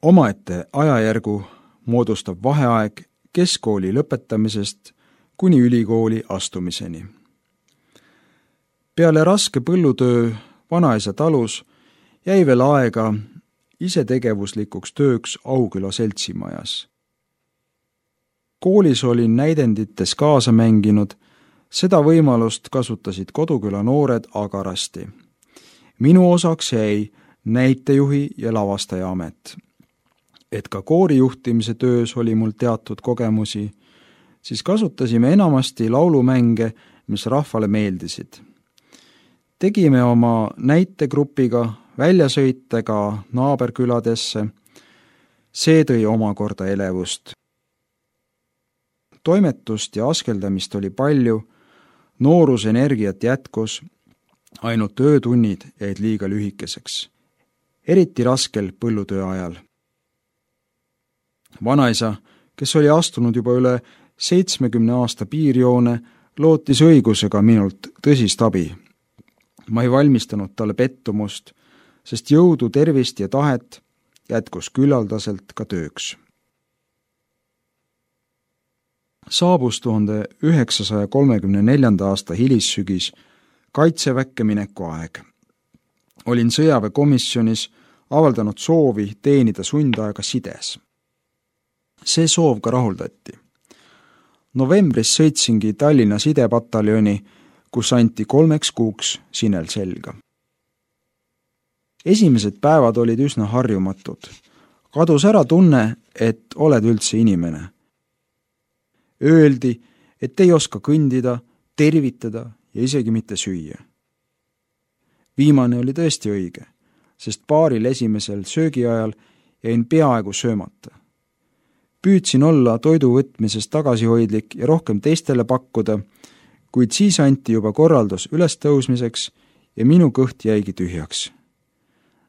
Omaette ajajärgu moodustab vaheaeg keskkooli lõpetamisest kuni ülikooli astumiseni. Peale raske põllutöö vanaisa talus jäi veel aega isetegevuslikuks tööks Auküla seltsimajas. Koolis olin näidendites kaasa mänginud, seda võimalust kasutasid Koduküla noored agarasti. Minu osaks jäi näitejuhi ja lavastaja amet. Et ka koorijuhtimise töös oli mul teatud kogemusi, siis kasutasime enamasti laulumänge, mis rahvale meeldisid. Tegime oma näitegrupiga väljasõite ka naaberküladesse, see tõi omakorda elevust. Toimetust ja askeldamist oli palju, noorusenergiat jätkus, ainult öötunnid jäid liiga lühikeseks, eriti raskel põllutöö ajal. Vanaisa, kes oli astunud juba üle 70 aasta piirjoone, lootis õigusega minult tõsist abi. Ma ei valmistanud talle pettumust, sest jõudu, tervist ja tahet jätkus küllaldaselt ka tööks. Saabus 1934. aasta hilissügis kaitseväkke mineku aeg. Olin sõjaväekomisjonis avaldanud soovi teenida sundaega sides. See soov ka rahuldati. Novembris sõitsingi Tallinna sidepataljoni, kus anti 3 kuuks sinel selga. Esimesed päevad olid üsna harjumatud. Kadus ära tunne, et oled üldse inimene. Öeldi, et ei oska kõndida, tervitada ja isegi mitte süüa. Viimane oli tõesti õige, sest paaril esimesel söögiajal jäin peaaegu söömata. Püüdsin olla toidu võtmises tagasihoidlik ja rohkem teistele pakkuda, kuid siis anti juba korraldus üles tõusmiseks ja minu kõht jäigi tühjaks.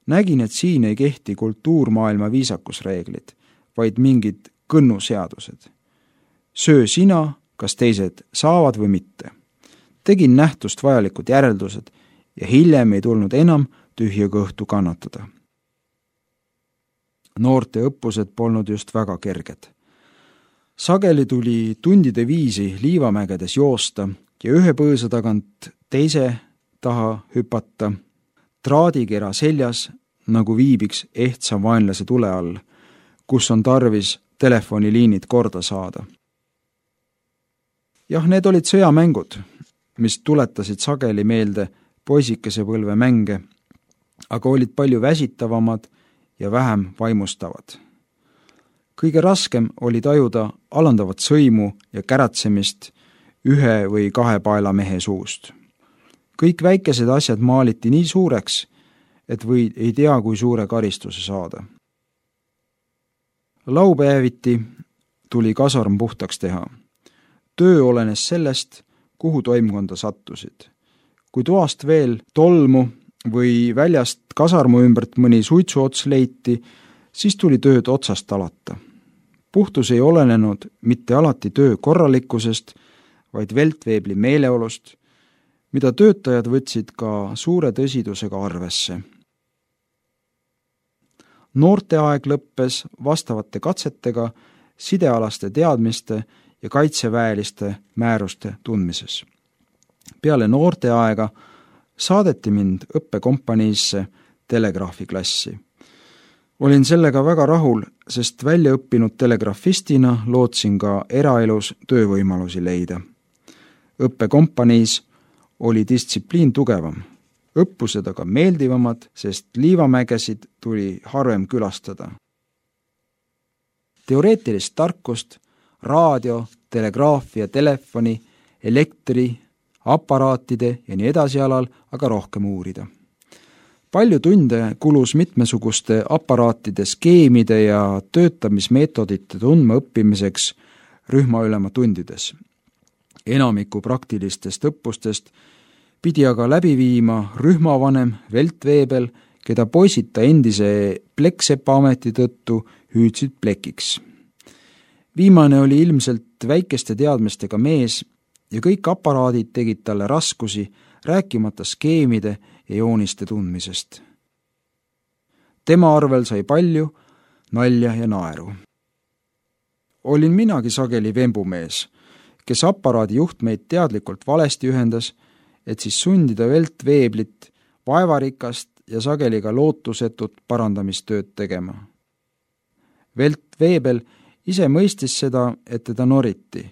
Nägin, et siin ei kehti kultuurmaailma viisakusreeglid, vaid mingid kõnnuseadused. Söö sina, kas teised saavad või mitte. Tegin nähtust vajalikud järeldused ja hiljem ei tulnud enam tühja kõhtu kannatada. Noorte õppused polnud just väga kerged. Sageli tuli tundide viisi liivamägedes joosta ja ühe põõsa tagant teise taha hüpata, traadikera seljas, nagu viibiks ehtsa vaenlase tule all, kus on tarvis telefoniliinid korda saada. Jah, need olid sõjamängud, mis tuletasid sageli meelde poisikese põlve mänge, aga olid palju väsitavamad ja vähem vaimustavad. Kõige raskem oli tajuda alandavat sõimu ja käratsemist 1 või 2 paela mehe suust. Kõik väikesed asjad maaliti nii suureks, et või ei tea, kui suure karistuse saada. Laupäeviti tuli kasarm puhtaks teha. Töö olenes sellest, kuhu toimkonda sattusid. Kui toast veel tolmu või väljast kasarmu ümbert mõni suitsuots leiti, siis tuli tööd otsast alata. Puhtus ei olenenud mitte alati töö korralikkusest, vaid veltveebli meeleolust, mida töötajad võtsid ka suure tõsidusega arvesse. Noorte aeg lõppes vastavate katsetega sidealaste teadmiste ja kaitseväeliste määruste tundmises. Peale noorte aega saadeti mind õppekompaniisse telegraafiklassi. Olin sellega väga rahul, sest väljaõppinud telegrafistina lootsin ka eraelus töövõimalusi leida. Õppekompaniis oli distsipliin tugevam, õppused aga meeldivamad, sest liivamägesid tuli harvem külastada. Teoreetilist tarkust, raadio, telegraafia, telefoni, elektri, aparaatide ja nii edasi alal aga rohkem uurida. Palju tunde kulus mitmesuguste aparaatide skeemide ja töötamismeetodite tundma õppimiseks rühmaülema tundides. Enamiku praktilistest õppustest pidi aga läbi viima rühmavanem Veltveebel, keda poisid ta endise pleksepa ameti tõttu hüüdsid plekiks. Viimane oli ilmselt väikeste teadmistega mees ja kõik aparaadid tegid talle raskusi, rääkimata skeemide ja jooniste tundmisest. Tema arvel sai palju, nalja ja naeru. Olin minagi sageli vembumees, kes aparaadi juhtmeid teadlikult valesti ühendas, et siis sundida veltveeblit vaevarikast ja sageli ka lootusetut parandamistööd tegema. Veltveebel ise mõistis seda, et teda noriti.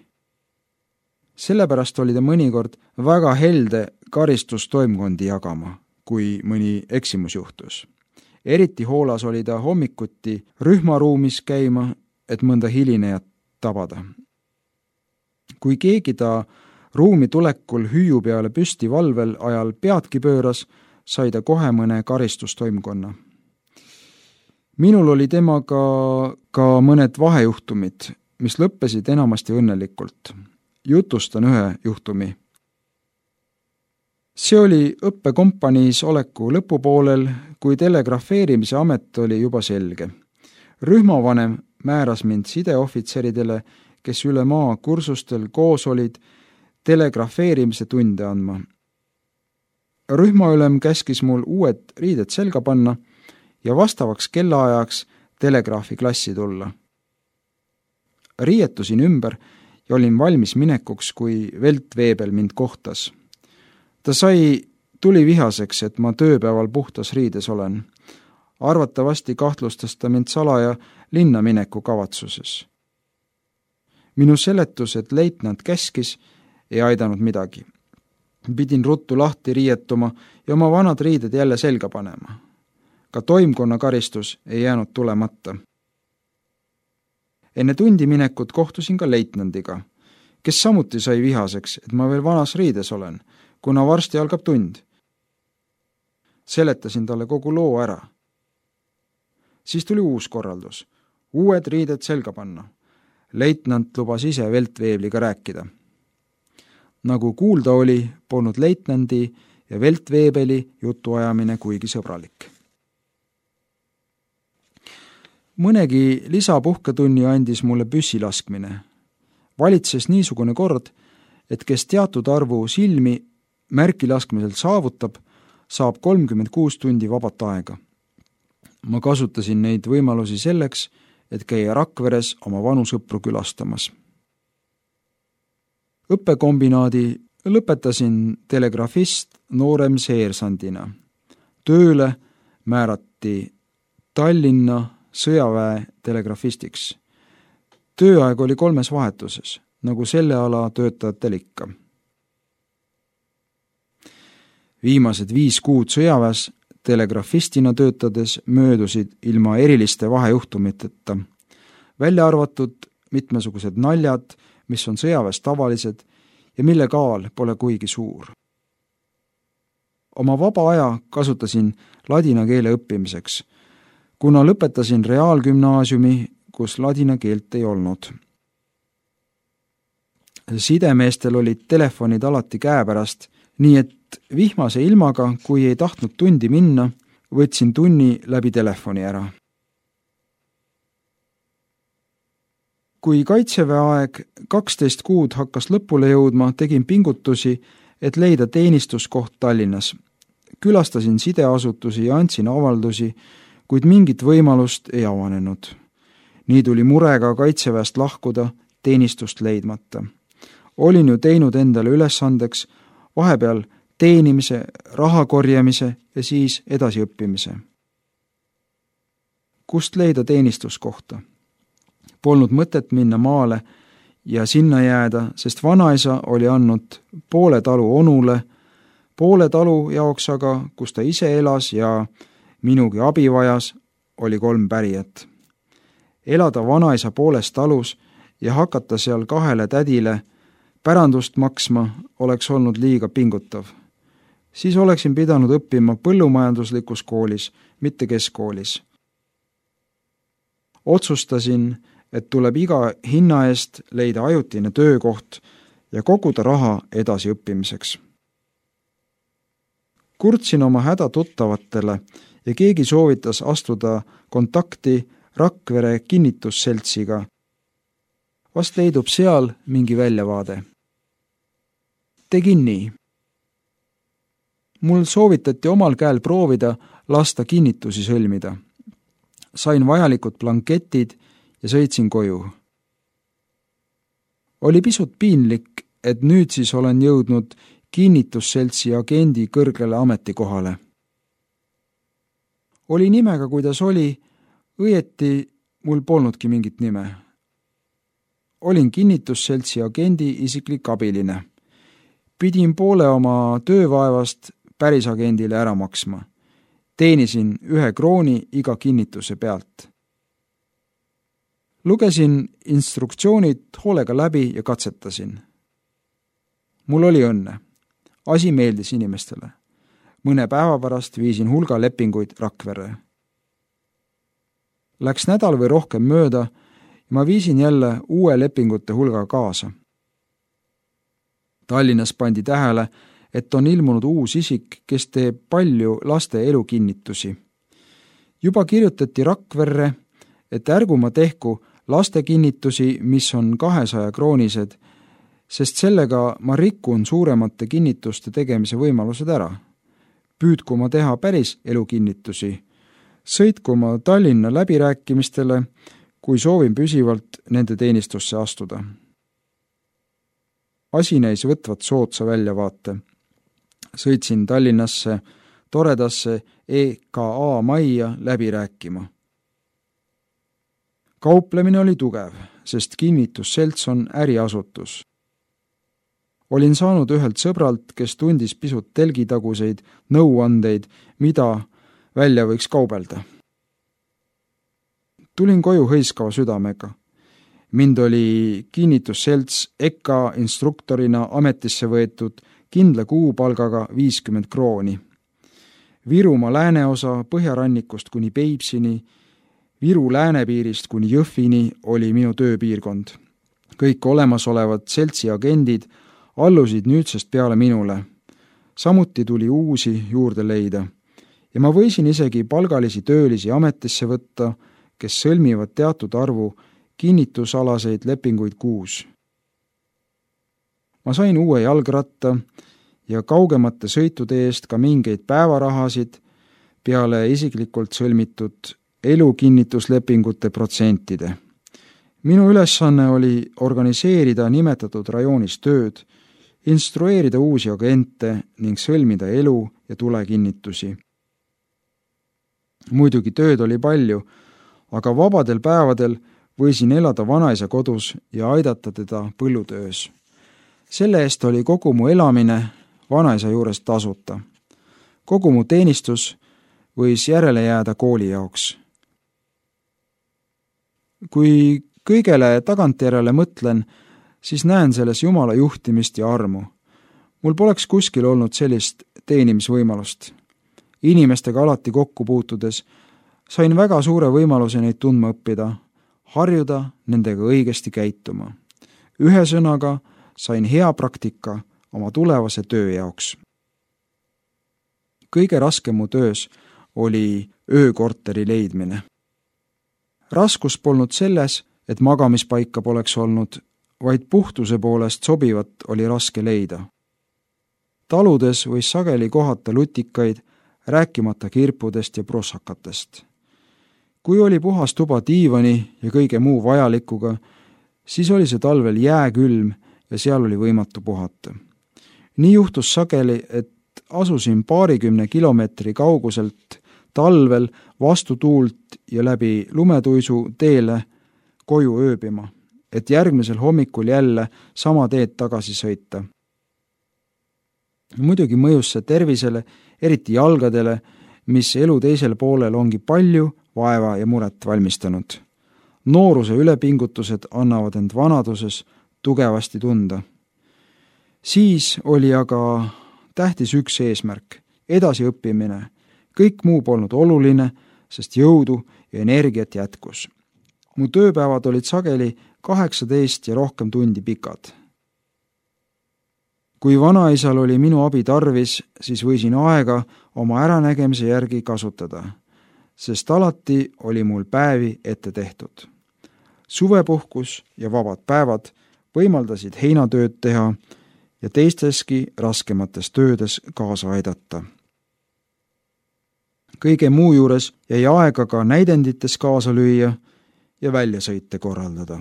Sellepärast oli ta mõnikord väga helde karistustoimkondi jagama, kui mõni eksimus juhtus. Eriti hoolas oli ta hommikuti rühmaruumis käima, et mõnda hilinejat tabada. Kui keegi ta ruumi tulekul hüüu peale püsti valvel ajal peadki pööras, sai ta kohe mõne karistustoimkonna. Minul oli temaga ka mõned vahejuhtumid, mis lõppesid enamasti õnnelikult. Jutustan ühe juhtumi. See oli õppekompaniis oleku lõpupoolel, kui telegrafeerimise amet oli juba selge. Rühmavanem määras mind sideohvitseridele, kes üle maa kursustel koos olid, telegrafeerimise tunde andma. Rühmaülem käskis mul uued riided selga panna ja vastavaks kellaajaks telegraafi klassi tulla. Riietusin ümber ja olin valmis minekuks, kui veltveebel mind kohtas. Ta sai tulivihaseks, et ma tööpäeval puhtas riides olen. Arvatavasti kahtlustas ta mind salaja linna mineku kavatsuses. Minu seletus, et leitnant käskis, ei aidanud midagi. Pidin ruttu lahti riietuma ja oma vanad riided jälle selga panema. Ka toimkonna karistus ei jäänud tulemata. Enne tundi minekut kohtusin ka leitnandiga, kes samuti sai vihaseks, et ma veel vanas riides olen, kuna varsti algab tund. Seletasin talle kogu loo ära. Siis tuli uus korraldus. Uued riided selga panna. Leitnant lubas ise veltveebliga rääkida. Nagu kuulda oli, polnud leitnandi ja veltveebeli jutuajamine kuigi sõbralik. Mõnegi lisapuhketunni andis mulle püssi laskmine. Valitses niisugune kord, et kes teatud arvu silmi märki laskmiselt saavutab, saab 36 tundi vabat aega. Ma kasutasin neid võimalusi selleks, et käia Rakveres oma vanu sõpru külastamas. Õppekombinaadi lõpetasin telegrafist noorem seersandina. Tööle määrati Tallinna sõjaväe telegrafistiks. Tööaeg oli 3 vahetuses, nagu selle ala töötajatel ikka. Viimased 5 kuud sõjaväes telegrafistina töötades möödusid ilma eriliste vahejuhtumiteta, välja arvatud mitmesugused naljad, mis on sõjaväes tavalised ja mille kaal pole kuigi suur. Oma vaba aja kasutasin ladina keele õppimiseks, kuna lõpetasin reaalgümnaasiumi, kus ladina keelt ei olnud. Sidemeestel olid telefonid alati käepärast, nii et vihmase ilmaga, kui ei tahtnud tundi minna, võtsin tunni läbi telefoni ära. Kui kaitseväe aeg 12 kuud hakkas lõpule jõudma, tegin pingutusi, et leida teenistuskoht Tallinnas. Külastasin sideasutusi ja andsin avaldusi, kuid mingit võimalust ei avanenud. Nii tuli murega kaitseväest lahkuda, teenistust leidmata. Olin ju teinud endale ülesandeks vahepeal teenimise, raha korjamise ja siis edasiõppimise. Kust leida teenistuskohta? Polnud mõtet minna maale ja sinna jääda, sest vanaisa oli andnud poole talu onule, poole talu jaoks aga, kus ta ise elas ja minugi abi vajas, oli 3 pärijat. Elada vanaisa pooles talus ja hakata seal 2 tädile pärandust maksma oleks olnud liiga pingutav. Siis oleksin pidanud õppima põllumajanduslikus koolis, mitte keskkoolis. Otsustasin, et tuleb iga hinna eest leida ajutine töökoht ja koguda raha edasiõppimiseks. Kurtsin oma häda tuttavatele ja keegi soovitas astuda kontakti Rakvere kinnitusseltsiga. Vast leidub seal mingi väljavaade. Tegin nii. Mul soovitati omal käel proovida lasta kinnitusi sõlmida. sain vajalikud blanketid ja sõitsin koju. Oli pisut piinlik, et nüüd siis olen jõudnud kinnitusseltsi agendi kõrgele ametikohale. Oli nimega, kuidas oli, õieti mul polnudki mingit nime. Olin kinnitusseltsi agendi isiklik abiline. Pidin poole oma töövaevast päris agendile ära maksma. Teenisin 1 krooni iga kinnituse pealt. Lugesin instruktsioonid hoolega läbi ja katsetasin. Mul oli õnne. Asi meeldis inimestele. Mõne päeva pärast viisin hulga lepinguid Rakverre. Läks nädal või rohkem mööda ja ma viisin jälle uue lepingute hulga kaasa. Tallinnas pandi tähele, et on ilmunud uus isik, kes teeb palju laste elukinnitusi. Juba kirjutati Rakverre, et ärgu ma tehku lastekinnitusi, mis on 200 kroonised, sest sellega ma rikun suuremate kinnituste tegemise võimalused ära. Püüdku ma teha päris elukinnitusi. Sõitku ma Tallinna läbirääkimistele, kui soovin püsivalt nende teenistusse astuda. Asi näis võtvat soodsa väljavaate. Sõitsin Tallinnasse toredasse EKA majja läbi rääkima. Kauplemine oli tugev, sest kinnitusselts on äriasutus. Olin saanud ühelt sõbralt, kes tundis pisut telgitaguseid nõuandeid, mida välja võiks kaubelda. Tulin koju hõiskava südamega. Mind oli kinnitusselts EKA instruktorina ametisse võetud kindla kuupalgaga 50 krooni. Virumaa lääneosa Põhjarannikust kuni Peipsini, Viru läänepiirist kuni Jõhvini oli minu tööpiirkond. Kõik olemasolevad seltsi agendid allusid nüüdsest peale minule. Samuti tuli uusi juurde leida ja ma võisin isegi palgalisi töölisi ametisse võtta, kes sõlmivad teatud arvu kinnitusalaseid lepinguid kuus. Ma sain uue jalgratta ja kaugemate sõitude eest ka mingeid päevarahasid peale isiklikult sõlmitud elukinnituslepingute protsentide. Minu ülesanne oli organiseerida nimetatud rajoonis tööd, instrueerida uusi agente ning sõlmida elu- ja tulekinnitusi. Muidugi tööd oli palju, aga vabadel päevadel võisin elada vanaisa kodus ja aidata teda põllutöös. Selle eest oli kogu mu elamine vanaisa juures tasuta. Kogu mu teenistus võis järele jääda kooli jaoks. Kui kõigele tagantjärele mõtlen, siis näen selles Jumala juhtimist ja armu. Mul poleks kuskil olnud sellist teenimisvõimalust. Inimestega alati kokku puutudes sain väga suure võimaluse neid tundma õppida, harjuda nendega õigesti käituma. Ühesõnaga sain hea praktika oma tulevase töö jaoks. Kõige raskem mu töös oli öökorteri leidmine. Raskus polnud selles, et magamispaika poleks olnud, vaid puhtuse poolest sobivat oli raske leida. Taludes võis sageli kohata lutikaid, rääkimata kirpudest ja prossakatest. Kui oli puhas tuba diivani ja kõige muu vajalikuga, siis oli see talvel jääkülm ja seal oli võimatu puhata. Nii juhtus sageli, et asusin 20 kilomeetri kauguselt talvel vastu tuult ja läbi lumetuisu teele koju ööbima, et järgmisel hommikul jälle sama teed tagasi sõita. Muidugi mõjus see tervisele, eriti jalgadele, mis elu teisel poolel ongi palju vaeva ja muret valmistanud. Nooruse ülepingutused annavad end vanaduses tugevasti tunda. Siis oli aga tähtis üks eesmärk, edasiõppimine. Kõik muu polnud oluline, sest jõudu ja energiat jätkus. Mu tööpäevad olid sageli 18 ja rohkem tundi pikad. Kui vanaisal oli minu abi tarvis, siis võisin aega oma äranägemise järgi kasutada, sest alati oli mul päevi ette tehtud. Suvepuhkus ja vabad päevad võimaldasid heinatööd teha ja teisteski raskemates töödes kaasa aidata. kõige muu juures jäi aega ka näidendites kaasa lüüa ja väljasõite korraldada.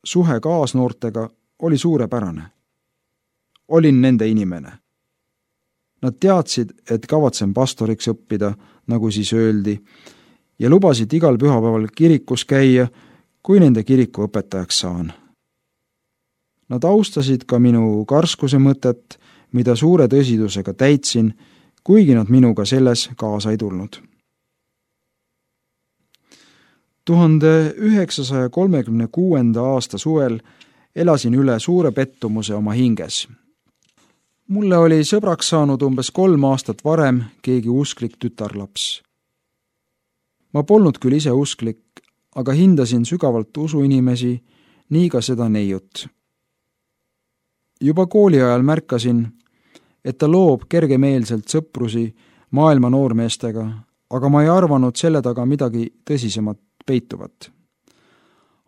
Suhe kaasnoortega oli suurepärane. Olin nende inimene. Nad teadsid, et kavatsen pastoriks õppida, nagu siis öeldi, ja lubasid igal pühapäeval kirikus käia, kui nende kiriku õpetajaks saan. Nad austasid ka minu karskuse mõtet, mida suure tõsidusega täitsin, kuigi nad minuga selles kaasa ei tulnud. 1936. aasta suvel elasin üle suure pettumuse oma hinges. Mulle oli sõbraks saanud umbes 3 aastat varem keegi usklik tütarlaps. Ma polnud küll ise usklik, aga hindasin sügavalt usuinimesi, nii ka seda neiut. Juba kooli ajal märkasin, et ta loob kergemeelselt sõprusi maailma noormeestega, aga ma ei arvanud selle taga midagi tõsisemat peituvat.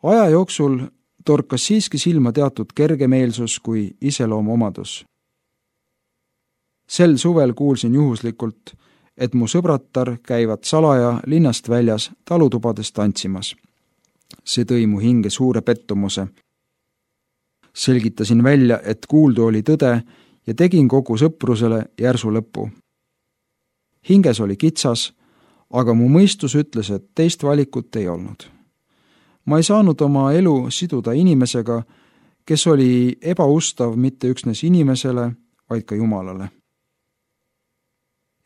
Aja jooksul torkas siiski silma teatud kergemeelsus kui iseloomuomadus. Sel suvel kuulsin juhuslikult, et mu sõbrattar käivad salaja linnast väljas talutubades tantsimas. See tõi mu hinge suure pettumuse. Selgitasin välja, et kuuldu oli tõde ja tegin kogu sõprusele järsu lõpu. Hinges oli kitsas, aga mu mõistus ütles, et teist valikut ei olnud. Ma ei saanud oma elu siduda inimesega, kes oli ebaustav mitte üksnes inimesele, vaid ka Jumalale.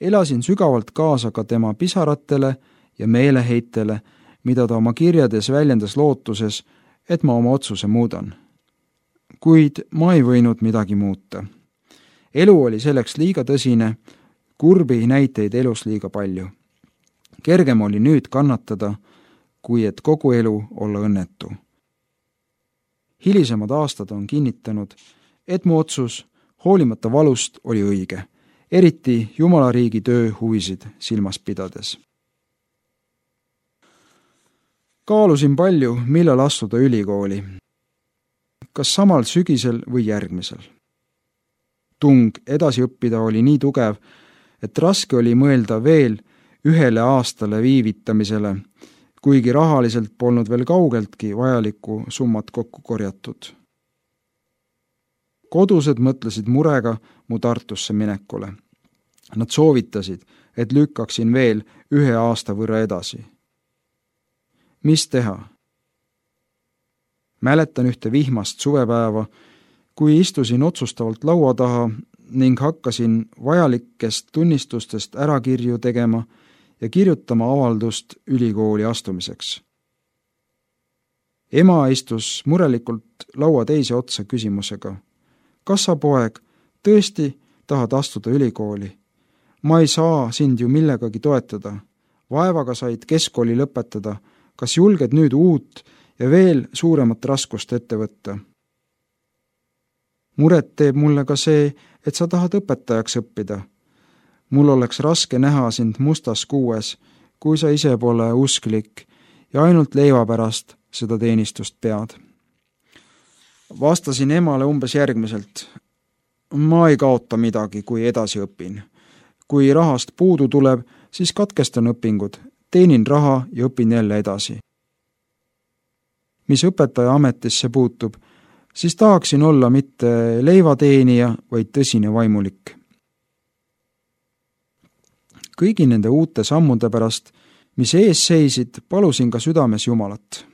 Elasin sügavalt kaasa ka tema pisaratele ja meeleheitele, mida ta oma kirjades väljendas lootuses, et ma oma otsuse muudan. Kuid ma ei võinud midagi muuta. Elu oli selleks liiga tõsine, kurbi näiteid elus liiga palju. Kergem oli nüüd kannatada, kui et kogu elu olla õnnetu. Hilisemad aastad on kinnitanud, et mu otsus, hoolimata valust, oli õige, eriti Jumalariigi töö huvisid silmas pidades. Kaalusin palju, millal astuda ülikooli. Kas samal sügisel või järgmisel. Tung edasi õppida oli nii tugev, et raske oli mõelda veel 1 aastale viivitamisele, kuigi rahaliselt polnud veel kaugeltki vajalikku summat kokku korjatud. Kodused mõtlesid murega mu Tartusse minekule. Nad soovitasid, et lükkaksin veel 1 aasta võrra edasi. Mis teha? Mäletan ühte vihmast suvepäeva, kui istusin otsustavalt laua taha ning hakkasin vajalikest tunnistustest ärakirju tegema ja kirjutama avaldust ülikooli astumiseks. Ema istus murelikult laua teise otsa küsimusega. Kas sa, poeg, tõesti tahad astuda ülikooli? Ma ei saa sind ju millegagi toetada. Vaevaga said keskkooli lõpetada. Kas julged nüüd uut ja veel suuremat raskust ette võtta? Muret teeb mulle ka see, et sa tahad õpetajaks õppida. Mul oleks raske näha sind mustas kuues, kui sa ise pole usklik ja ainult leiva pärast seda teenistust pead. Vastasin emale umbes järgmiselt. Ma ei kaota midagi, kui edasi õpin. Kui rahast puudu tuleb, siis katkestan õpingud, teenin raha ja õpin jälle edasi. Mis õpetaja ametisse puutub, siis tahaksin olla mitte leivateenija, vaid tõsine vaimulik. Kõigi nende uute sammude pärast, mis ees seisid, palusin ka südames Jumalat.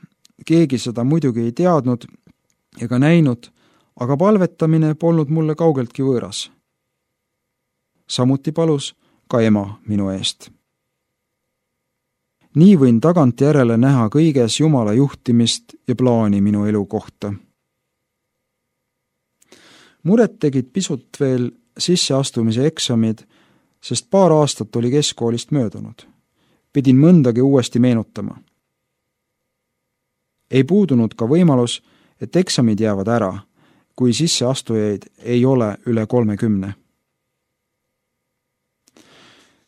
Keegi seda muidugi ei teadnud ega näinud, aga palvetamine polnud mulle kaugeltki võõras. Samuti palus ka ema minu eest. Nii võin tagantjärele näha kõiges Jumala juhtimist ja plaani minu elu kohta. Muret tegid pisut veel sisseastumise eksamid, sest 2 aastat oli keskkoolist möödunud. Pidin mõndagi uuesti meenutama. Ei puudunud ka võimalus, et eksamid jäävad ära, kui sisseastujaid ei ole üle 30.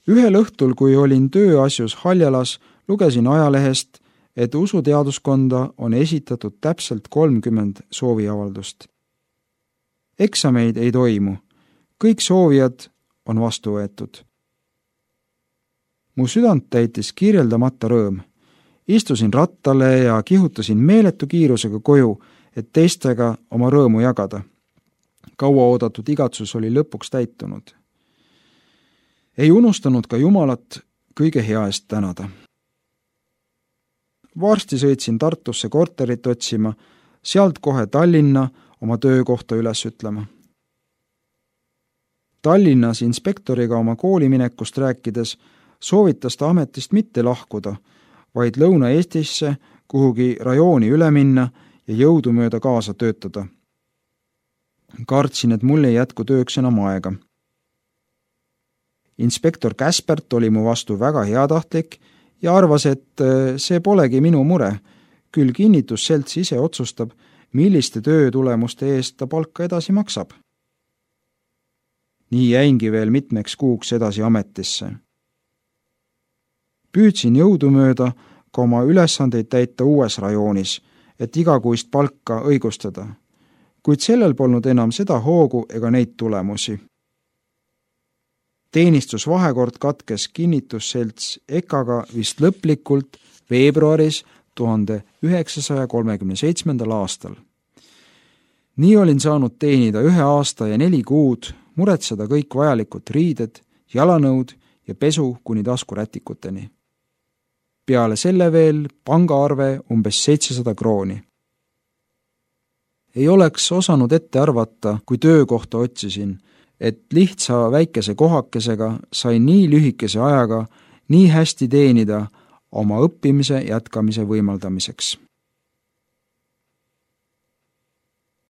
Ühel õhtul, kui olin tööasjus Haljalas, lugesin ajalehest, et usuteaduskonda on esitatud täpselt 30 sooviavaldust. Eksameid ei toimu, kõik soovijad on vastu võetud. Mu südant täitis kirjeldamata rõõm. Istusin rattale ja kihutasin meeletu kiirusega koju, et teistega oma rõõmu jagada. Kaua oodatud igatsus oli lõpuks täitunud. Ei unustanud ka Jumalat kõige hea eest tänada. Varsti sõitsin Tartusse korterit otsima, sealt kohe Tallinna oma töökohta üles ütlema. Tallinnas inspektoriga oma kooliminekust rääkides soovitas ta ametist mitte lahkuda, vaid Lõuna-Eestisse kuhugi rajooni üle minna ja jõudumööda kaasa töötada. Kartsin, et mul ei jätku tööks enam aega. Inspektor Käspert oli mu vastu väga heatahtlik ja arvas, et see polegi minu mure, küll kinnitusselts ise otsustab, milliste töötulemuste eest ta palka edasi maksab. Nii jäingi veel mitmeks kuuks edasi ametisse. Püüdsin jõudumööda ka oma ülesandeid täita uues rajoonis, et igakuist palka õigustada, kuid sellel polnud enam seda hoogu ega neid tulemusi. Teenistusvahekord katkes kinnitusselts EKAga vist lõplikult veebruaris 1937. aastal. Nii olin saanud teenida 1 aasta ja 4 kuud, muretseda kõik vajalikud riided, jalanõud ja pesu kuni taskurätikuteni. Peale selle veel pangaarve umbes 700 krooni. Ei oleks osanud ette arvata, kui töökohta otsisin, et lihtsa väikese kohakesega sain nii lühikese ajaga nii hästi teenida oma õppimise jätkamise võimaldamiseks.